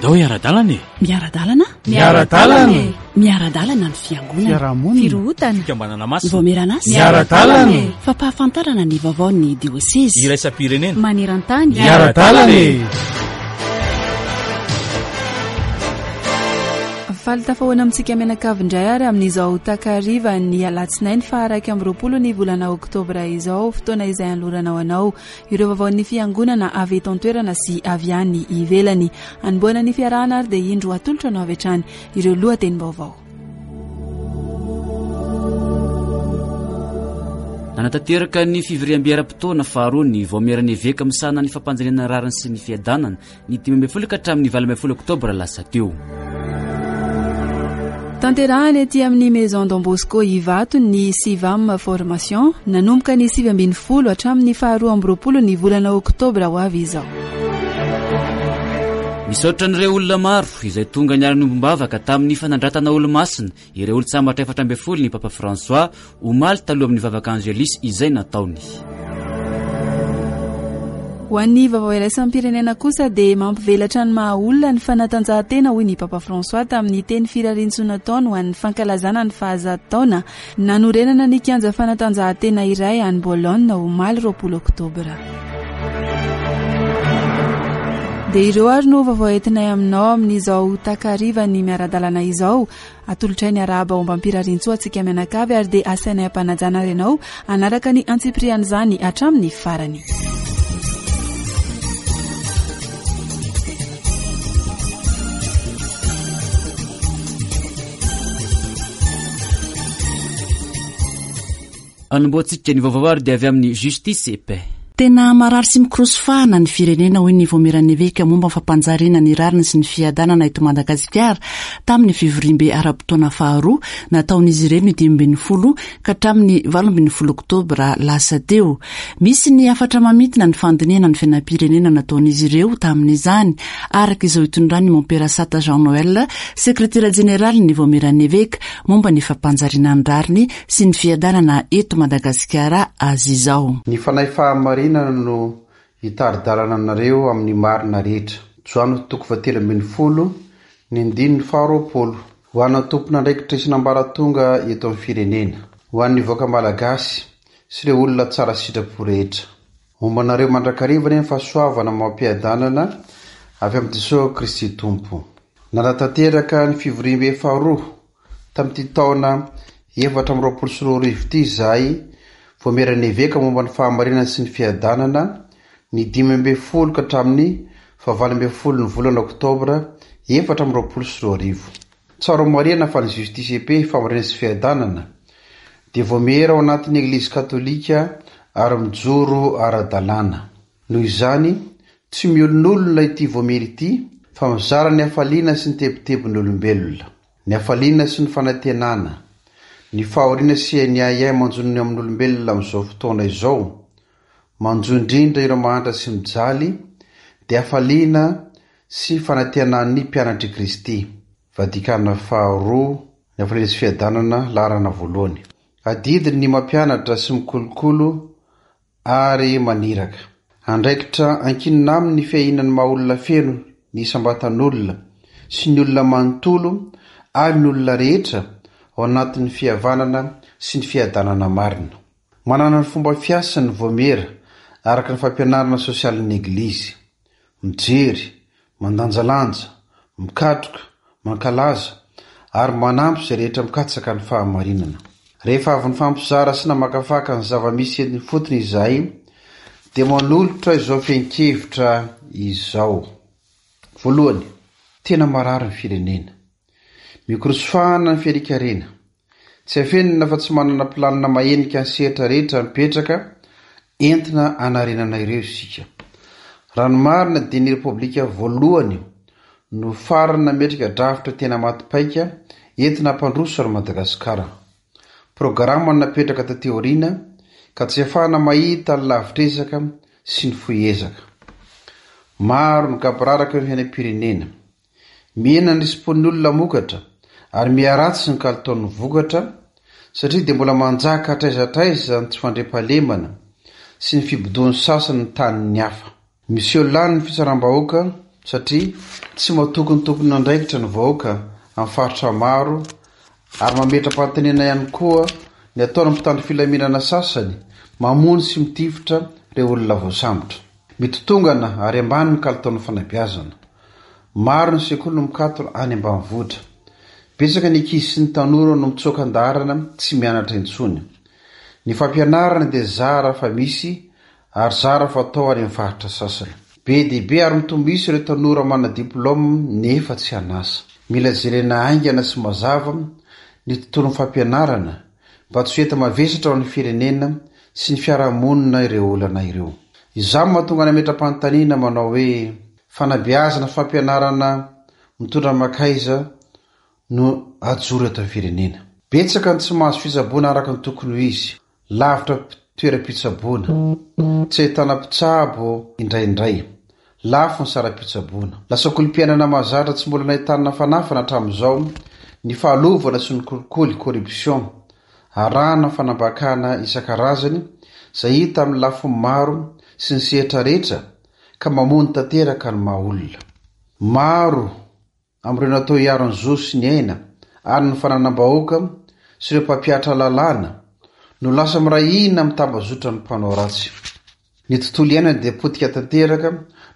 Andao hiara-dalana e! Miara-dalana? Miara-dalana e! Miara-dalana ny fiangonana. Fiarahamonina. Firohotana. Fikambanana masina. Ny vaomieran'asa. Miara-dalana e! Fampahafantarana ny vaovaon'ny diosezy. Iraisam-pirenena. Maneran-tany. Miara-dalana e! Faly tafahoana amintsika mianakavy indray ary amin'izao takariva ny alatsinainy faha 21 ny volana oktobra izao, fotoana izay anoloranao anao Ireo vaovaon'ny Fiangonana avy eto an-toerana sy avy any ivelany. Hanombohana ny fiarahana ary dia indro atolotra anao avy hatrany ireo lohatenim-baovao. Nanatanteraka ny fivoriambe ara-potoana faharoa ny Vaomieran'ny Eveka misahana ny fampanjaniana ny rariny sy ny fiadanana ny 15 ka hatramin'ny 18 oktobra lasa teo. Tanterahana ety amin'ny Maison Don Bosco Ivato ny Civam Formation, nanomboka ny 19 hatramin'ny faharoa 22 ny volana oktobra ho avy izao. Misaotra an'ireo olona maro izay tonga niara-niombom-bavaka tamin'ny fanandratana olomasina Ireo olon-tsambatra 14 ny Papa François omaly taloha amin'ny vavaka Angelus izay nataony. Ho an'ny vaovao iraisam-pirenena kosa dia mampivelatra ny maha olona ny fanatanjahantena hoy ny Papa François tamin'ny teny firariantsoa nataony ho an'ny fankalazana ny fahazato taona nanorenana ny kianja fanatanjahantena iray any Bologne omaly 20 oktobra. Dia ireo ary no vaovao entinay aminao amin'izao takarivan'ny miara-dalana izao. Atolotray ny arahaba ombam-pirariantsoa antsika mianakavy ary dia asainay am-panajana ary ianao hanaraka ny antsipirian'izany hatramin'ny farany. Anombohantsika ny vaovao ary dia avy amin'ny Justice et Paix. Tena marary sy mikorosy fahana ny firenena, hoy ny Vaomieran'ny Eveka momba ny fampanjariana ny rariny sy ny fiadanana eto Madagasikara tamin'ny fivoriambe ara-potoana faharoa nataon'izy ireo ny 15 ka hatramin'ny 18 oktobra lasa teo. Misy ny hafatra mamintina ny fandinihana ny fiainam-pirenena nataon'izy ireo tamin'izany, araka izao itondran'ny Mompera Sata Jean Noël, sekretera jeneralin'ny Vaomieran'ny Eveka momba ny fampanjariana ny rariny sy ny fiadanana eto Madagasikara azy izao. Ny Fanahy fahamarinana no hitari-dalana anareo amin'ny marina rehetra. Joany toko fahatelo ambin'ny folo, ny andininy faharoapolo. Ho an'ny tompon'andraikitra isan'ambaratonga eto amin'ny firenena. Ho an'ny vahoaka malagasy sy ireo olona tsara sitrapo rehetra. Homba anareo mandrakariva anie ny fahasoavana amam-piadanana avy amin'i Jesoa Kristy Tompo. Nanatanteraka ny fivoriambe faharoa Tamin'ity taona 2024 ity izahay Vaomieran'ny Eveka momba ny Fahamarinana sy ny Fiadanana, ny 15 ka hatramin'ny faha 18 ny volana oktobra 2024. Tsara homarihana fa ny Justice et Paix, Fahamarinana sy Fiadanana, dia vaomiera ao anatin'ny Eglizy Katolika ary mijoro ara-dalàna. Noho izany, tsy miolonolona ity vaomiera ity fa mizara ny hafaliana sy ny tebitebin'ny olombelona. Ny hafaliana sy ny fanantenana, ny fahoriana sy ny ahiahy manjo ny amin'olombelona amin'izao fotoana izao, manjo indrindra ireo mahantra sy mijaly, dia hafaliana sy fanantenan'ny mpianatr'i Kristy. Vatikana faharoa, ny hafaliana sy fiadanana, laharana voalohany. Adidiny ny mampianatra sy mikolokolo ary maniraka. Andraikitra ankinina aminy ny fiahiana ny maha-olona feno ny isam-batan'olona sy ny olona manontolo ary ny olona rehetra ao anatin'ny fihavanana sy ny fiadanana marina. Manana ny fomba fiasany ny Vaomiera araka ny fampianarana sosialin'ny Eglizy. Mijery, mandanjalanja, mikatroka, mankalaza, ary manampy izay rehetra mikatsaka ny fahamarinana. Rehefa avy nifampizara sy namakafaka ny zava-misy eny ifotony izahay, dia manolotra izao fehin-kevitra izao. Voalohany, tena marary ny firenena. Mikorosofahana ny fiarikarena. Tsy afenina fa tsy manana planina mahenika ny sehatra rehetra mipetraka entina hanarenana ireo isika. Raha ny marina dia ny Repoblika voalohany no farany nametraka drafitra tena maty paika entina hampandroso an'i Madagasikara. Programa no napetraka taty aoriana ka tsy ahafahana mahita ny lavitr'ezaka sy ny fohy ezaka. Maro ny gaboraraka eo amin'ny fiainam-pirenena. Mihena ny risi-pon'ny olona hamokatra ary miharatsy ny kalitaon'ny vokatra satria dia mbola manjaka hatraiza hatraiza ny tsy fandriampahalemana sy ny fibodoan'ny sasany ny tanin'ny hafa. Miseho lany ny fitsaram-bahoaka satria tsy matoky ny tompon'andraikitra ny vahoaka amin'ny faritra maro ary mametra-panontaniana ihany koa ny ataon'ny mpitandro filaminana sasany mamono sy mitifitra ireo olona voasambotra. Mitotongana ary ambany ny kalitaon'ny fanabeazana. Maro ny sekoly no mikatona any ambanivohitra. Betsaka ny ankizy sy ny tanora no mitsoaka an-daharana tsy mianatra intsony. Ny fampianarana dia zara fa misy ary zara fa atao any amin'ny faritra sasany. Be dia be ary mitombo isa ireo tanora manana diplaoma nefa tsy an'asa. Mila jerena haingana sy mazava ny tontolon'ny fampianarana mba tsy ho enta-mavesatra ho an'ny firenena sy ny fiarahamonina ireo olana ireo. Izany no mahatonga nametra-panontaniana manao hoe, fanabeazana sy fampianarana mitondra mankaiza no ajoro eto amin'ny firenena? Betsaka ny tsy mahazo fitsaboana araka ny tokony ho izy. Lavitra toeram-pitsaboana. Tsy ahitana mpitsabo indraindray. Lafo ny saram-pitsaboana. Lasa kolom-piainana mahazatra tsy mbola nahitana fanafana hatramin'izao ny fahalovana sy ny kolikoly, corruption, arahana fanambakana isan-karazany izay hita amin'ny lafiny maro sy ny sehatra rehetra ka mamono tanteraka ny maha olona. Maro amin'ireo natao hiaro ny zo sy ny aina ary ny fananam-bahoaka sy ireo mpampihatra lalàna no lasa miray hina amin'ny tambazotran'ny mpanao ratsy. Ny tontolo iainana dia potika tanteraka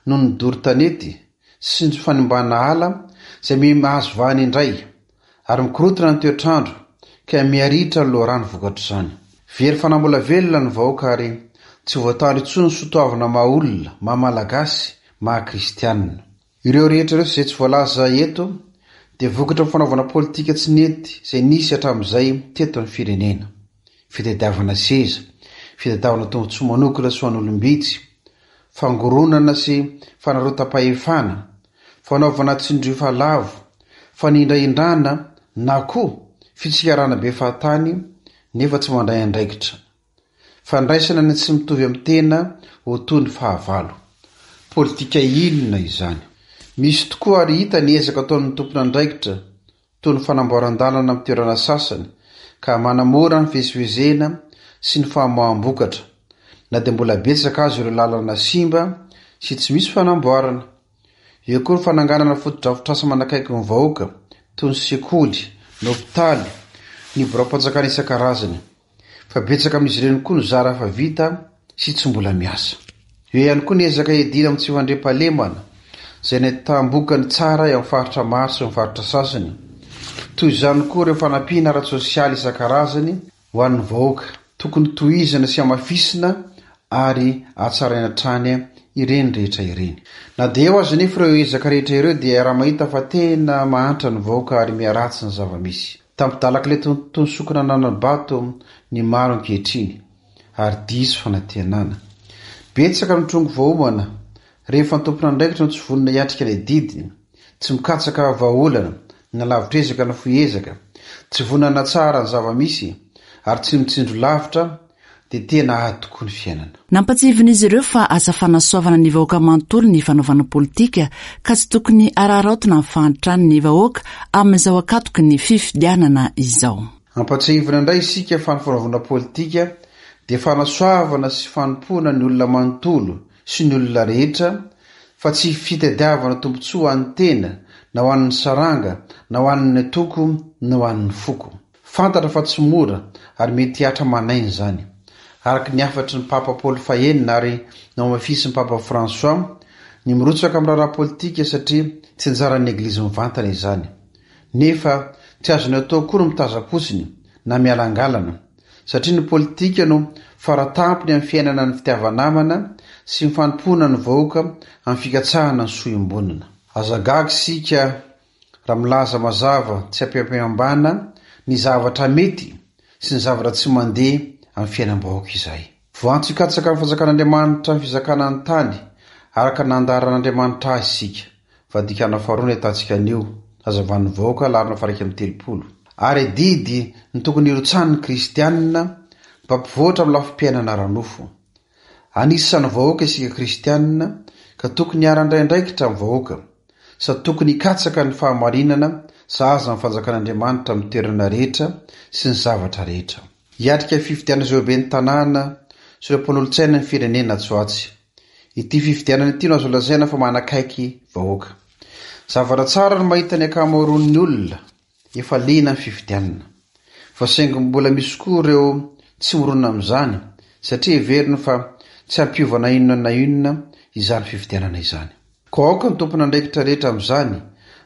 noho ny doro tanety sy ny fanimbana ala izay miha mahazo vahana indray ary mikorontana ny toetr'andro ka miha-ritra ny loharano vokatr'izany. Very fanambola velona ny vahoaka ary tsy voatandro intsony ny soatoavina maha olona, maha Malagasy, maha kristianina. Ireo rehetra ireo izay tsy voalaza eto dia vokatry ny fanaovana politika tsy nety izay nisy hatramin'izay teto amin'ny firenena. Fitadiavana seza, fitadiavana tombontsoa manokana sy ho an'olom-bitsy, fangoronana sy fanarotam-pahefana, fanaovana tsindrio lavo, fanindrahindrana na koa fitsikarana be fahatany nefa tsy mandray andraikitra. Fandraisana ny tsy mitovy amin'ny tena ho toy ny fahavalo. Politika inona izany? Misy tokoa ary hita ny ezaka ataon'ny tompon'andraikitra toy ny fanamboaran-dalana amin'ny toerana sasany ka manamora ny fivezivezena sy ny famoaham-bokatra, na dia mbola betsaka aza ireo lalana simba sy tsy misy fanamboarana. Eo koa ny fananganana fotodrafitrasa manakaiky ny vahoaka toy ny sekoly, ny hopitaly, ny biraom-panjakana isan-karazany. Fa betsaka amin'izy ireny koa no zara fa vita sy tsy mbola miasa. Eo ihany koa ny ezaka hiadiana amin'ny tsy fandriampahalemana, izay nahitam-bokany tsara eo amin'ny faritra maro sy ny faritra sasany. Toy izany koa ireo fanampiana ara-tsosialy isan-karazany ho an'ny vahoaka. Tokony tohizana sy hamafisina ary hatsaraina hatrany ireny rehetra ireny. Na dia eo aza anefa ireo ezaka rehetra ireo dia iaraha-mahita fa tena mahantra ny vahoaka ary miharatsy ny zava-misy. Tampidalak'ilay tontolo sokina nanana-bato ny maro ankehitriny ary diso fanantenana. Betsaka ny trongy voaomana rehefa ny tompon'andraikitra no tsy vonona hiatrika ny adidiny, tsy mikatsaka vahaolana na lavitr'ezaka na fohy ezaka, tsy vonona hanatsara ny zava-misy ary tsy mitsinjo lavitra dia tena ady tokoa ny fiainana. Nampatsiahivin'izy ireo fa asa fanasoavana ny vahoaka manontolo ny fanaovana politika ka tsy tokony araraotina amin'ny fahantran'ny vahoaka amin'izao ankatoky ny fifidianana izao. Ampatsiahivina indray isika fa ny fanaovana politika dia fanasoavana sy fanompoana ny olona manontolo sy ny olona rehetra fa tsy fitadiavana tombontsoa ho an'ny tena na ho an'ny saranga na ho an'ny antoko na ho an'ny foko. Fantatra fa tsy mora ary mety hihatra aman'aina izany. Araka ny hafatry ny Papa Paoly fahenina ary nohamafisin'ny Papa François, ny mirotsaka amin'ny raharaha politika satria tsy anjaran'ny Eglizy mivantana izany. Nefa tsy azony atao koa ny mitazam-potsiny na mialangalana, satria ny politika no faratampony amin'ny fiainana ny fitiava-namana sy ny fanompoana ny vahoaka amin'ny fikatsahana ny soa iombonana. Aza gaga isika Raha milaza mazava tsy ampiampihambana ny zavatra mety sy ny zavatra tsy mandeha amin'ny fiainam-bahoaka izahay. Voantso hikatsaka ny fanjakan'Andriamanitra ny fizakana ny tany araka ny nandaharan'Andriamanitra azy isika. Vadikana faharoa ny ahitantsika an'io, hazavan'ny vahoaka, laharana faha 31. Ary adidy ny tokony hirotsahan'ny kristianina mba hampivoatra amin'ny lafim-piainana ara-nofo. Anisan'ny vahoaka isika kristianina ka tokony hiara-handray andraikitra amin'ny vahoaka, sady tokony hikatsaka ny fahamarinana sahaza ny fanjakan'Andriamanitra amin'ny toerana rehetra sy ny zavatra rehetra. Hiatrika fifidianana izay ho ben'ny tanàna sy ireo mpanolotsaina ny firenena atsy ho atsy. Ity fifidianana ity no azo lazaina fa manakaiky vahoaka. Zavatra tsara ny mahita ny ankamaroan'ny olona efa liana amin'ny fifidianana. Fa saingy mbola misy koa ireo tsy mirona amin'izany satria heveriny fa tsy hampiova na inona na inona izany fifidianana izany. Koa aoka ny tompon'andraikitra rehetra amin'izany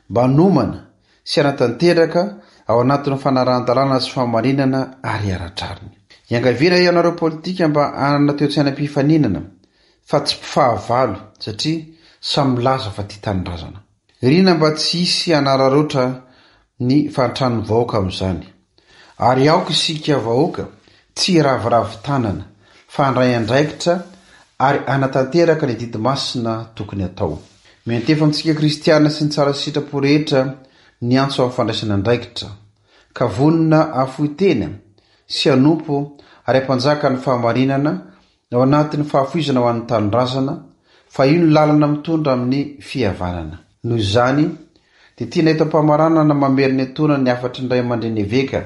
mba hanomana sy hanatanteraka ao anatin'ny fanarahan-dalàna sy fahamarinana ary ara-drariny. Iangaviana ianareo politika mba hanana toe-tsaina mpifaninana fa tsy mpifahavalo satria samy milaza fa tia tanindrazana. Irina mba tsy hisy hanararaotra ny fahantran'ny vahoaka amin'izany. Ary aoka isika vahoaka tsy hiraviravy tanana fa handray andraikitra ary hanatanteraka ny adidy masina tokony hatao. Miantefa amintsika kristiana sy ny tsara sitrapo rehetra ny antso amin'ny fandraisana andraikitra, ka vonona hahafoy tena sy hanompo ary hampanjaka ny fahamarinana ao anatin'ny fahafoizana ho an'ny tanindrazana, fa io no lalana mitondra amin'ny fihavanana. Noho izany, dia tiana eto am-pamaranana mamerina etoana ny hafatry ny Ray aman-dreny Eveka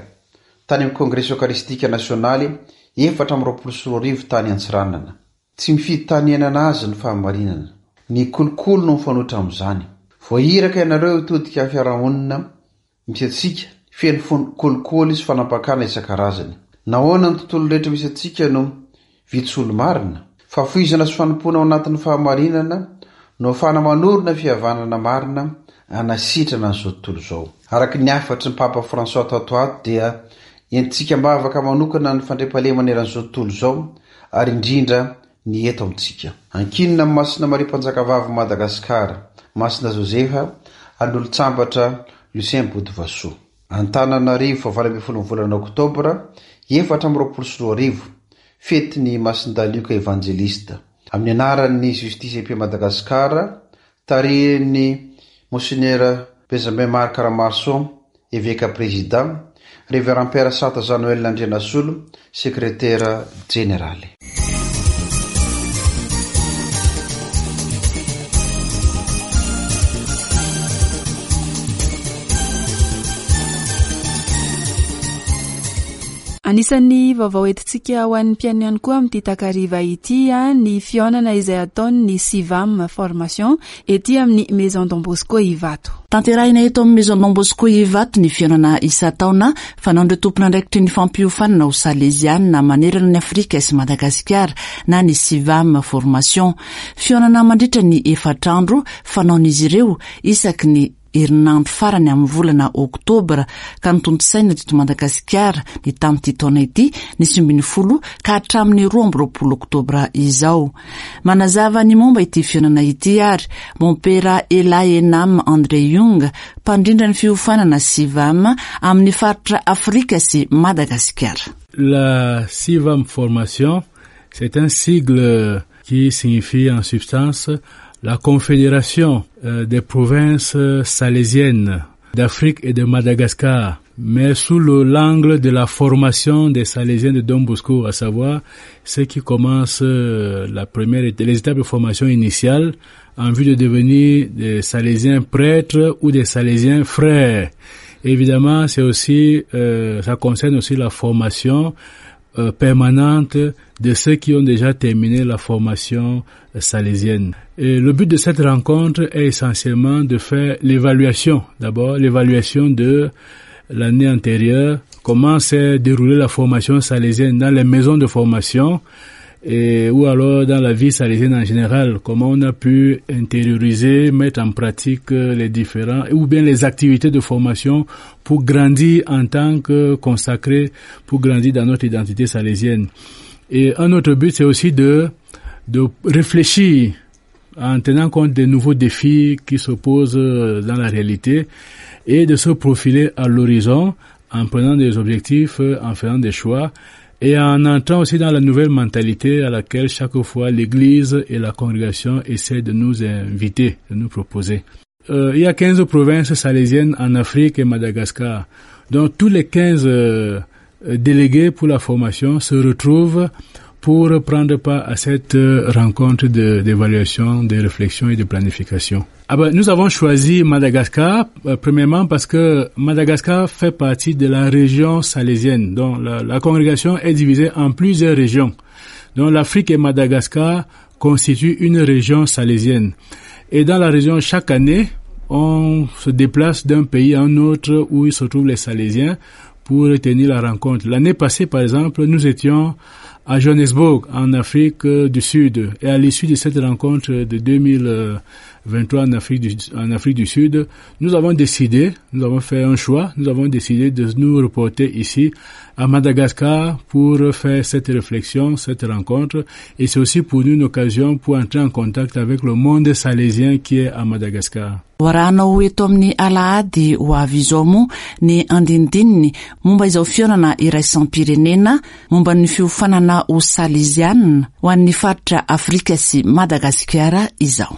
tany amin'ny Kongresy Eokaristika Nasionaly 2024 tany Antsiranana. Tsy mifidy tany iainana azy ny fahamarinana. Ny kolikoly no mifanohitra amin'izany. Voahiraka ianareo hitodika fiarahamonina misy antsika, feno fon kolikoly sy fanampakana isan-karazany. Nahoana ny tontolo rehetra misy antsika no vitsy olo-marina? Fahafoizana sy fanompoana ao anatin'ny fahamarinana no ahafahana manorina fihavanana marina hanasitrana an'izao tontolo izao. Araka ny hafatry ny Papa François tato ato dia entintsika am-bavaka manokana ny fandriampahalemana eran'izao tontolo izao ary indrindra ny eto amintsika. Ankinina amin'i Masina Maria Mpanjakavavin'i Madagasikara, Masina Josefa, ary ny olon-tsambatra Lucien Botovasoa. Antananarivo, faha 18 ny volana oktobra 2024, fetin'i Masindahy Lioka Evanjelista. Amin'ny anaran'ny Justice et Paix Madagascar, tarihin'ny Monsenera Benjamin Marc Ramaroson, Eveka Prezida, Révérend Père Sata Jean Noël Andrianasolo, Sekretera Jeneraly. Anisan'ny vaovao entintsika ho an'ny mpihaino ihany koa amin'ity takariva ity ny fihaonana izay ataon'ny Civam Formation ety amin'ny Maison Don Bosco Ivato. Tanterahina eto amin'ny Maison Don Bosco Ivato ny fihaonana isan-taona fanaon'ireo tompon'andraikitry ny fampiofanana ho Saleziana manerana an'i Afrika sy Madagasikara na ny Civam Formation. Fihaonana mandritra ny efatra andro fanaon'izy ireo isaky ny herinandro farany amin'ny volana oktobra ka notontosaina teto Madagasikara ny tamin'ity taona ity ny 19 ka hatramin'ny 22 oktobra izao. Manazava ny momba ity fihaonana ity ary Mompera Ela Enam André Jung, mpandrindra ny fiofanana Civam amin'ny faritra Afrika sy Madagasikara. La Civam Formation, c'est un sigle qui signifie en substance la Confédération euh, des provinces salésiennes d'Afrique et de Madagascar, mais sous l'angle de la formation des Salésiens de Don Bosco, à savoir ceux qui commencent euh, la première, les étapes de formation initiale en vue de devenir des Salésiens prêtres ou des Salésiens frères. Évidemment, c'est aussi, euh, ça concerne aussi la formation euh, permanente de ceux qui ont déjà terminé la formation salésienne. Et le but de cette rencontre est essentiellement de faire l'évaluation, d'abord l'évaluation de l'année antérieure, comment s'est déroulée la formation salésienne dans les maisons de formation, et, ou alors dans la vie salésienne en général, comment on a pu intérioriser, mettre en pratique les différents, ou bien les activités de formation pour grandir en tant que consacré, pour grandir dans notre identité salésienne. Et un autre but, c'est aussi de, de réfléchir en tenant compte des nouveaux défis qui se posent dans la réalité et de se profiler à l'horizon en prenant des objectifs, en faisant des choix et en entrant aussi dans la nouvelle mentalité à laquelle chaque fois l'Église et la congrégation essaient de nous inviter, de nous proposer. Euh, il y a 15 provinces salésiennes en Afrique et Madagascar. Donc tous les 15 euh, délégués pour la formation se retrouvent pour prendre part à cette rencontre d'évaluation, de, de réflexion et de planification. Ah ben, nous avons choisi Madagascar, euh, premièrement parce que Madagascar fait partie de la région salésienne. Donc la, la congrégation est divisée en plusieurs régions. Donc l'Afrique et Madagascar constituent une région salésienne. Et dans la région, chaque année, on se déplace d'un pays à un autre où il se trouvent les Salésiens pour tenir la rencontre. L'année passée, par exemple, nous étions à Johannesburg, en Afrique du Sud. Et à l'issue de cette rencontre de 2023 en Afrique du, en Afrique du Sud, nous avons décidé, nous avons fait un choix, nous avons décidé de nous reporter ici à Madagascar pour faire cette réflexion, cette rencontre. Et c'est aussi pour nous une occasion pour entrer en contact avec le monde salésien qui est à Madagascar. Hoarahanao eto amin'ny alahady ho avy izao moa ny andinindininy momba izao fihaonana iraisam-pirenena momba ny fiofanana ho Salezianina ho an'ny faritra Afrika sy Madagasikara izao.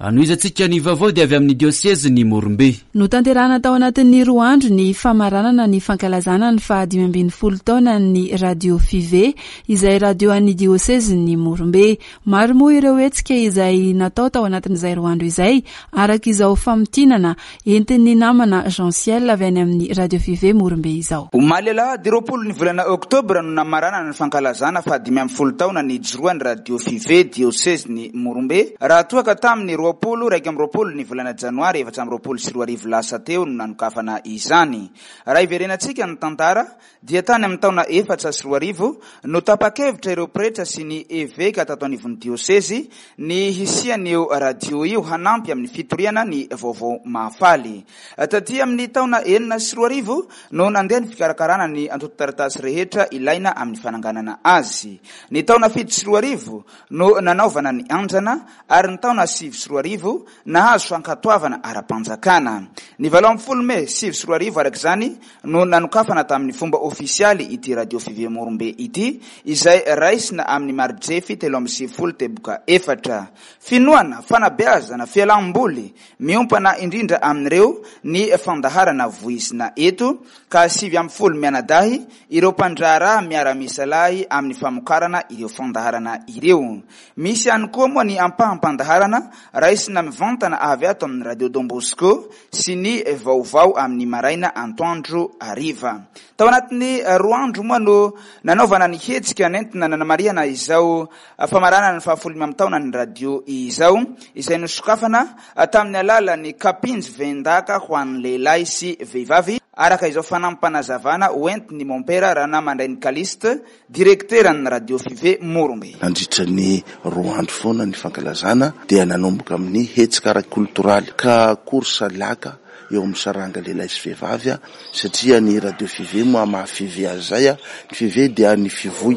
Anohizantsika ny vaovao dia avy amin'ny diosezin'i Morombe. Notanterahana tao anatin'ny roa andro ny famaranana ny fankalazana ny faha 15 taonan'ny Radio Five, izay radio an'ny diosezin'i Morombe. Maro moa ireo hetsika izay natao tao anatin'izay roa andro izay, araka izao famintinana entin'ny namana Jean Ciel avy any amin'ny Radio Five Morombe izao. Omaly alahady 20 ny volana oktobra no namaranana ny fankalazana faha 15 taona nijoroan'ny Radio Five diosezin'i Morombe, raha toa ka tamin'ny 20 21 ny volana janoary 2024 lasa teo no nanokafana izany. Raha hiverenantsika ny tantara dia tany amin'ny taona 2004 no tapa-kevitra ireo pretra sy ny eveka tato anivon'ny diosezy ny hisian'io radio io hanampy amin'ny fitoriana ny vaovao mahafaly. Taty amin'ny taona 2006 no nandeha ny fikarakarana ny antontan-taratasy rehetra ilaina amin'ny fananganana azy. Ny taona 2007 no nanaovana ny andrana ary ny taona 2009 nahazo fankatoavana ara-panjakana. Ny 18 mey 2009 araka izany no nanokafana tamin'ny fomba ofisialy ity Radio Five Morombe ity, izay raisina amin'ny mari-drefy 93.4. Finoana, fanabeazana, fialam-boly, miompana indrindra amin'ireo ny fandaharana voizina eto, ka 19 mianadahy ireo mpandraharaha miara-misalahy amin'ny famokarana ireo fandaharana ireo. Misy ihany koa moa ny ampaham-pandaharana raisina mivantana avy ato amin'ny Radio Don Bosco sy ny vaovao amin'ny maraina antoandro hariva. Tao anatin'ny roa andro moa no nanaovana ny hetsika nentina nanamarihana izao famaranana ny fahafolo amby taonan'ny radio izao, izay nosokafana tamin'ny alalan'ny kapinjy vendaka ho an'ny lehilahy sy vehivavy, araka izao fanampim-panazavana hoentin'ny Mompera Ranamandrainy Callixte, Direkteran'ny Radio Five Morombe. Nandritra ny roa andro foana ny fankalazana dia nanomboka amin'ny hetsika ara-koltoraly ka course laka eo amin'ny saranga lehilahy sy vehivavy satria ny Radio Five moa maha Five azy izay, ny Five dia ny fivoy,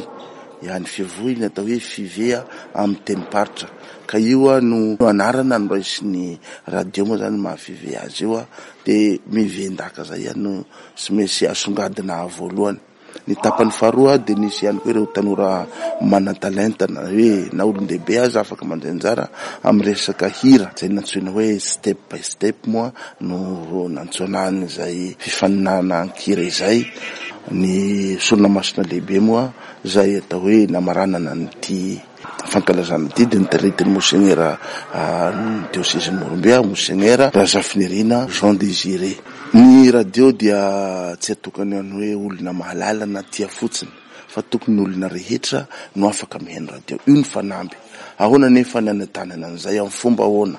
ya ny fivoy ny atao hoe Five amin'ny tenim-paritra ka io no anarana noraisin'ny radio moa izany maha Five azy io dia miven-daka izay ihany no tsy maintsy asongadina voalohany. Ny tapany faharoa dia nisy ihany koa ireo tanora manan-talenta na hoe na olon-dehibe aza afaka mandray anjara amin'ny resaka hira, izay nantsoina hoe step by step moa no nantsoina an'izay fifaninanana an-kira izay. Ny sorona masina lehibe moa izay atao hoe namaranana an'ity fankalazana ity dia notaritin'ny Monsenyera ny diosezin'i Morombe, Monsenyera Razafinirina Jean Désiré. Ny radio dia tsy atokana ny hoe olona mahalala na tia fotsiny fa tokony ny olona rehetra no afaka mihaino radio. Io ny fanamby. Ahoana anefa ny hanentanana an'izay amin'ny fomba ahoana?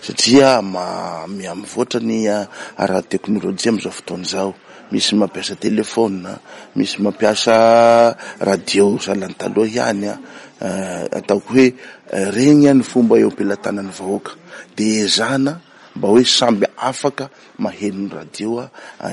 Satria miha-mivoatra ny ara-teknolojia amin'izao fotoana izao. Misy mampiasa telefaonina, misy mampiasa radio sahala ny taloha ihany. Ataoko hoe regny ny fomba eo am-pelatanan'ny vahoaka. Dia ezahana mba hoe samby afaka maheno ny radio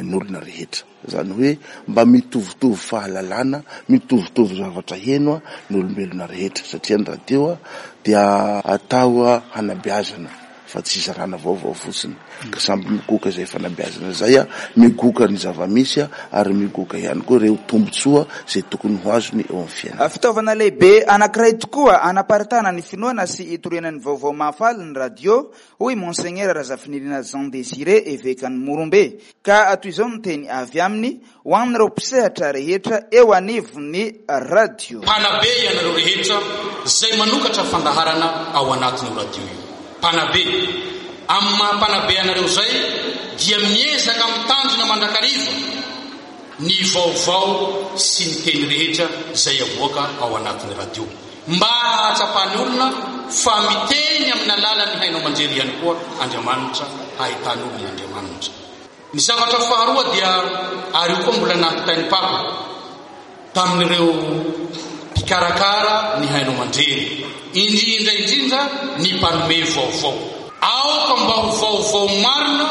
ny olona rehetra. Izany hoe mba mitovitovy fahalalana, mitovitovy zavatra heno ny olombelona rehetra satria ny radio dia atao hanabeazana fa tsy hizarana vaovao fotsiny. Ka samby migoka izay fanabeazana izay, migoka ny zava-misy ary migoka ihany koa ireo tombontsoa izay tokony ho azony eo amin'ny fiainana. Fitaovana lehibe anankiray tokoa hanaparitahana ny finoana sy hitoriana ny vaovao mahafaly ny radio, hoy Monseigneur Razafinirina Jean Désiré, evekan'i Morombe. Ka toy izao ny teny avy aminy ho an'ireo mpisehatra rehetra eo anivon'ny radio. Mpanabe ianareo rehetra izay manokatra fandaharana ao anatin'io radio io. Mpanabe. Amin'ny maha mpanabe anareo izay dia miezaka mitandrina mandrakariva ny vaovao sy ny teny rehetra izay avoaka ao anatin'ny radio. Mba hahatsapan'ny olona fa miteny amin'ny alalan'ny haino aman-jery ihany koa Andriamanitra, hahitan'olona Andriamanitra. Ny zavatra faharoa dia, ary io koa mbola nampitain'ny Papa tamin'ireo mpikarakara ny haino aman-jery, indrindra indrindra ny mpanome vaovao. Aoka mba ho vaovao marina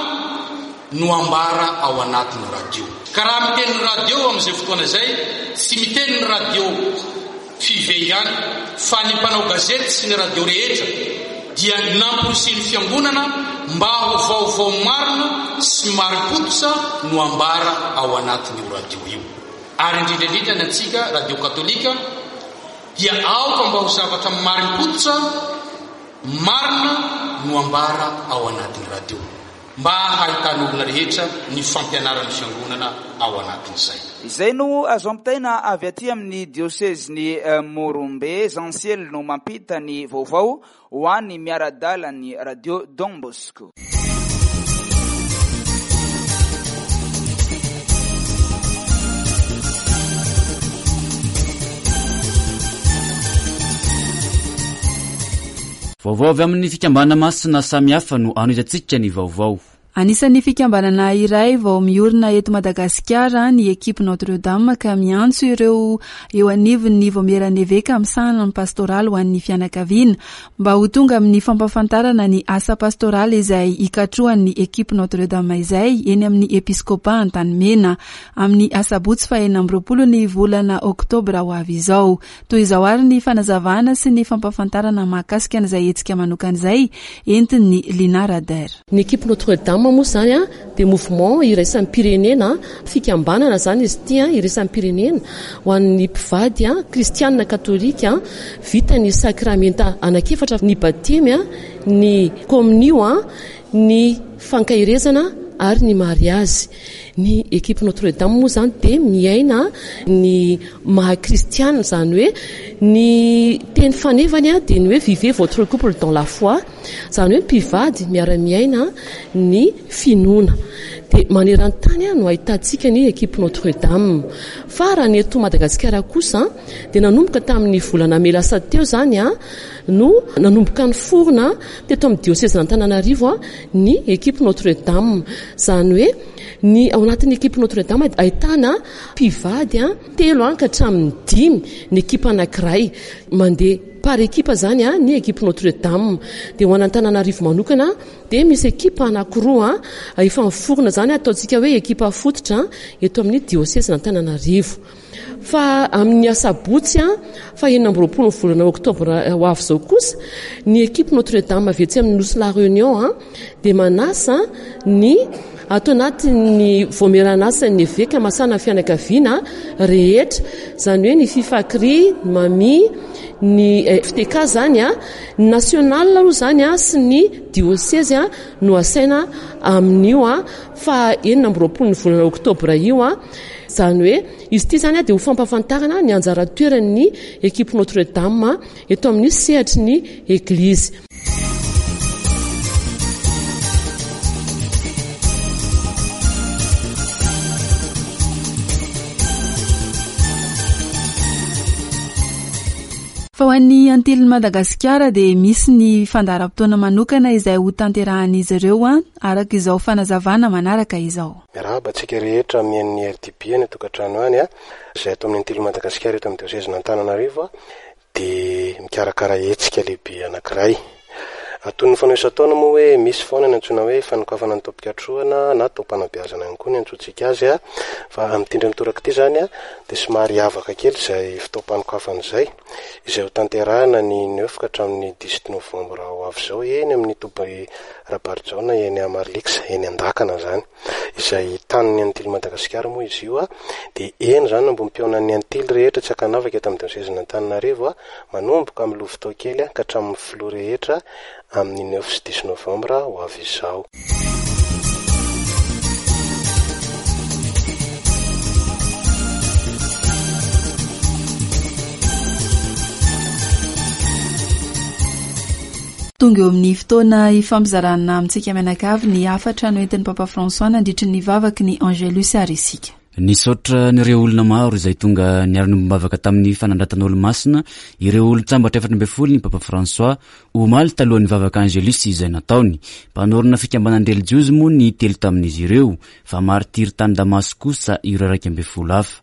no ambara ao anatin'ny radio. Ka raha miteny ny radio amin'izay fotoana izay, tsy miteny ny radio Five ihany, fa ny mpanao gazety sy ny radio rehetra dia namporisihin'ny fiangonana mba ho vaovao marina sy marim-pototra no ambara ao anatin'io radio io. Ary indrindra indrindra ny antsika radio katolika dia aoka mba ho zavatra marim-pototra marina no ambara ao anatin'ny radio. Mba hahitan'olona rehetra ny fampianaran'ny Fiangonana ao anatin'izay. Izay no azo ampitaina avy aty amin'ny diosezin'i Morombe. Jean Ciel no mampita ny vaovao ho an'ny miara-dalan'ny Radio Don Bosco. Vaovao avy amin'ny fikambanana masina samihafa no anohizantsika ny vaovao. Anisan'ny fikambanana iray vao miorina eto Madagasikara ny Equipe Notre Dame ka miantso ireo eo anivon'ny Vaomieran'ny Eveka misahana ny pastoraly ho an'ny fianakaviana mba ho tonga amin'ny fampahafantarana ny asa pastoraly izay ikatrohan'ny Equipe Notre Dame izay eny amin'ny Episkopa Antanimena amin'ny asabotsy faha-26 ny volana oktobra ho avy izao. Toy izao àry ny fanazavana sy ny fampahafantarana mahakasika an'izay hetsika manokana izay entin'i Lina Rader. Ny Equipe Notre Dame moa izany dia mouvement iraisam-pirenena, fikambanana izany izy ity iraisam-pirenena ho an'ny mpivady kristianina katolika vita ny sakramenta anankiefatra, ny batemy, ny kominio, ny fankaherezana ary ny mariazy. Ny Equipe Notre Dame moa izany dia miaina ny maha kristiana, izany hoe ny teny fanevany dia ny hoe vivez votre couple dans la foi, izany hoe mpivady miara-miaina ny finoana. Dia maneran-tany no ahitantsika ny Equipe Notre Dame. Fa raha ny eto Madagasikara kosa dia nanomboka tamin'ny volana mey lasa teo izany no nanomboka niforona teto amin'ny diosezin'Antananarivo ny Equipe Notre Dame. Izany hoe ny ao anatin'ny Equipe Notre Dame ahitana mpivady telo ka hatramin'ny dimy ny ekipa anankiray. Mandeha par ekipa izany ny Equipe Notre Dame. Dia ho an'Antananarivo manokana dia misy ekipa anankiroa efa miforona izany ataontsika hoe ekipa fototra eto amin'ny diosezin'Antananarivo. Fa amin'ny asabotsy faha 26 ny volana oktobra ho avy izao kosa, ny ekipe Notre Dame avy etsy amin'ny Nosy La Réunion dia manasa ny ato anatin'ny voamieran'asan'ny eveka masana fianakaviana rehetra, izany hoe ny Fifakri, ny Mami, ny FTK izany, ny national aloha izany sy ny diosezy no asaina amin'io faha 26 ny volana oktobra io. Izany hoe izy ity izany dia ho fampahafantarana ny anjara toeran'ny ekipe Notre Dame eto amin'ny sehatry ny Eglizy. Fa ho an'ny Antilin'i Madagasikara dia misy ny fandaharam-potoana manokana izay hotanterahan'izy ireo araka izao fanazavana manaraka izao. Miarahaba antsika rehetra mihaino ny RDB any an-tokantrano any a! Izay ato amin'ny Antily Madagasikara eto amin'ny diosezin'Antananarivo dia mikarakara hetsika lehibe anankiray. Toy ny fanao isan-taona moa hoe misy foana ny antsoina hoe fanokafana ny taom-pikatrohana na taom-panabeazana ihany koa ny antsointsika azy a! Fa amin'ity indray mitoraka ity izany dia somary hiavaka kely izay fotoam-panokafana izay, izay hotanterahina ny neuf ka hatramin'ny dix-huit novembre ho avy izao eny amin'ny toby Rabarijaona eny Amarlix, eny Andakana izany, izay tanin'ny Antily Madagasikara moa izy io, dia eny izany no ambom-pihaonan'ny Antily rehetra tsy ankanavaka eto amin'ny diosezin'Antananarivo, manomboka amin'ny lovitao kely ka hatramin'ny filoha rehetra amin'ny neuf sy dix novembre ho avy izao. Tonga eo amin'ny fotoana ifampizarana amintsika mianakavy ny hafatra noentin'ny Papa François nandritry ny vavaky ny Angelus ary isika. Nisaotra an'ireo olona maro izay tonga niara-niombom-bavaka tamin'ny fanandratana Olomasina ireo olon-tsambatra 14 ny Papa François omaly talohan'ny vavaka Angelus izay nataony. Mpanorina fikambanan-drelijiozy moa ny telo tamin'izy ireo fa martiry tany Damasy kosa ireo 11 hafa.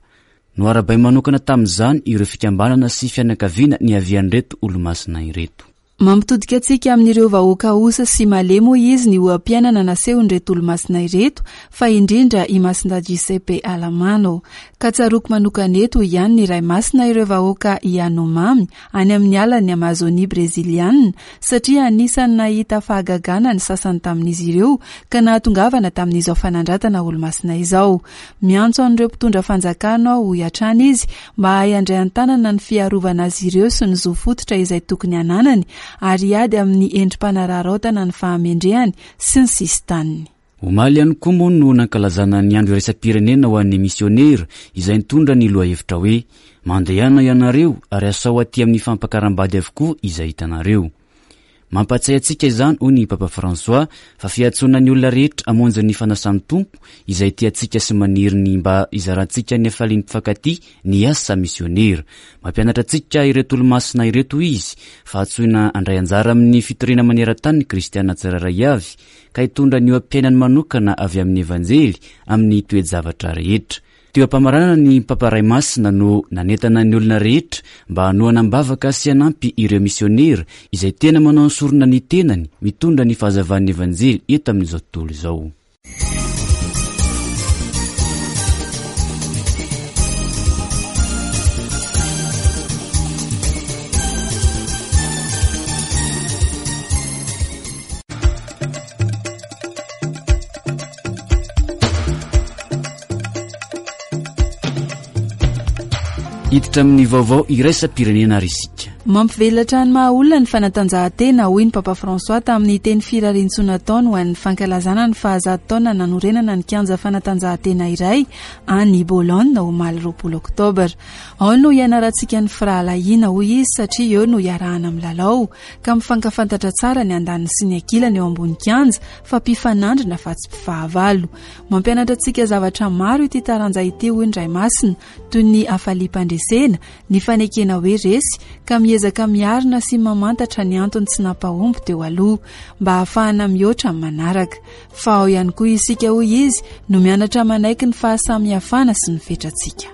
Noharabainy manokana tamin'izany ireo fikambanana sy fianakaviana niavian'ireto Olomasina ireto. Mampitodika antsika amin'ireo vahoaka osa sy malemy hoy izy ny oha-piainana nasehon'ireto olomasina ireto fa indrindra i Masindahy Giuseppe Allamano. Ka tsaroako manokana eto hoy ihany ny Ray Masina ireo vahoaka Yanomami any amin'ny alan'ny Amazonia Breziliana satria anisan'ny nahita fahagagana ny sasany tamin'izy ireo ka nahatongavana tamin'izao fanandratana olomasina izao. Miantso an'ireo mpitondra fanjakana aho hoy hatrany izy mba hahay handray an-tanana ny fiarovana azy ireo sy ny zo fototra izay tokony hananany ary hiady amin'ny endri-panararaotana ny fahamendrehany sy ny sisin-taniny. Omaly ihany koa moa no nankalazana ny andro iraisam-pirenena ho an'ny misionera izay nitondra ny lohahevitra hoe Mandehana ianareo ary asao aty amin'ny fampakaram-bady avokoa izay hitanareo. Mampahatsiahy antsika izany, hoy ny Papa François, fa fiantsoana ny olona rehetra hamonjy ny fanasan'ny Tompo, izay tia antsika sy maniry ny mba hizarantsika ny hafalian'ny mpifankatia ny asa misionera. Mampianatra antsika ireto olomasina ireto izy, fa antsoina handray anjara amin'ny fitoriana maneran-tany ny kristiana tsirairay avy, ka hitondra ny oha-piainany manokana avy amin'ny Evanjely amin'ny toe-javatra rehetra. Teo am-pamaranana ny Papa Ray Masina no nanentana ny olona rehetra mba hanohana am-bavaka sy hanampy ireo misionera izay tena manao ny sorona ny tenany mitondra ny fahazavan'ny Evanjely eto amin'izao tontolo izao. Hiditra amin'ny vaovao iraisam-pirenena ary isika. Mampivelatra ny maha olona ny fanatanjahantena, hoy ny Papa François tamin'ny teny firariantsoa nataony ho an'ny fankalazana ny fahazato taona nanorenana ny kianja fanatanjahantena iray any Bologne omaly 20 oktobra. Ao no hianarantsika ny firahalahiana, hoy izy, satria eo no iarahana milalao, ka mifankafantatra tsara ny andaniny sy ny ankilany eo ambony kianja fa mpifanandrina fa tsy mpifahavalo. Mampianatra antsika zavatra maro ity taranja ity hoy ny Ray Masina, toy ny hafaliam-pandresena, ny fanekena hoe resy, ka miezaka miarina sy mamantatra ny antony tsy nampahomby teo aloha, mba hahafahana mihoatra amin'ny manaraka. Fa ao ihany koa isika hoy izy no mianatra manaiky ny fahasamihafana sy ny fetrantsika.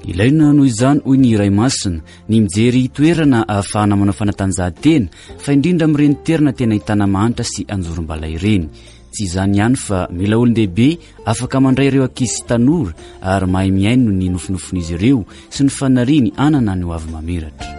Ilaina noho izany hoy ny Ray Masina ny mijery toerana ahafahana manao fanatanjahantena fa indrindra amin'ireny toerana tena ahitana mahantra sy anjorom-bala ireny. Tsy izany ihany fa mila olon-dehibe afaka mandray ireo ankizy sy tanora ary mahay mihaino ny nofinofin'izy ireo sy ny faniriany hanana ny hoavy mamiratra.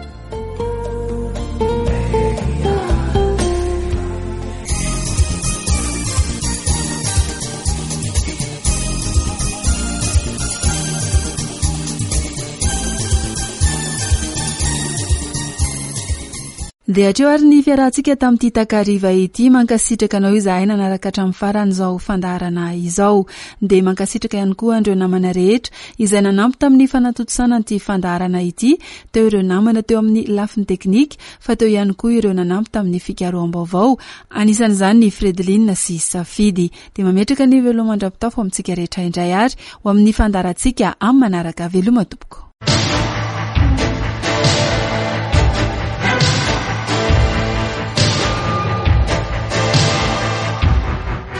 Dia hatreo ary ny fiarahantsika tamin'ity takariva ity. Mankasitraka anao izahay nanaraka hatramin'ny farany izao fandaharana izao. Dia mankasitraka ihany koa an'ireo namana rehetra izay nanampy tamin'ny fanatontosana an'ity fandaharana ity. Teo ireo namana teo amin'ny lafiny teknika, fa teo ihany koa ireo nanampy tamin'ny fikaroham-baovao, anisan'izany ny Fredeline sy Safidy. Dia mametraka ny veloma mandra-pitafo amintsika rehetra indray ary ho amin'ny fandaharantsika amin'ny manaraka. Veloma tompoko.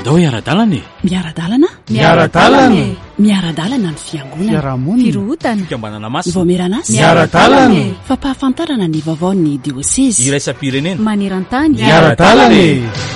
Ndao hiara-dalana e! Miara-dalana? Miara-dalana e! Miara-dalana ny fiangonana. Fiarahamonina. Firohotana. Fikambanana masina. Vaomieran'asa. Miara-dalana e! Fampahafantarana ny vaovaon'ny diosezy. Iraisam-pirenena. Maneran-tany. Miara-dalana e!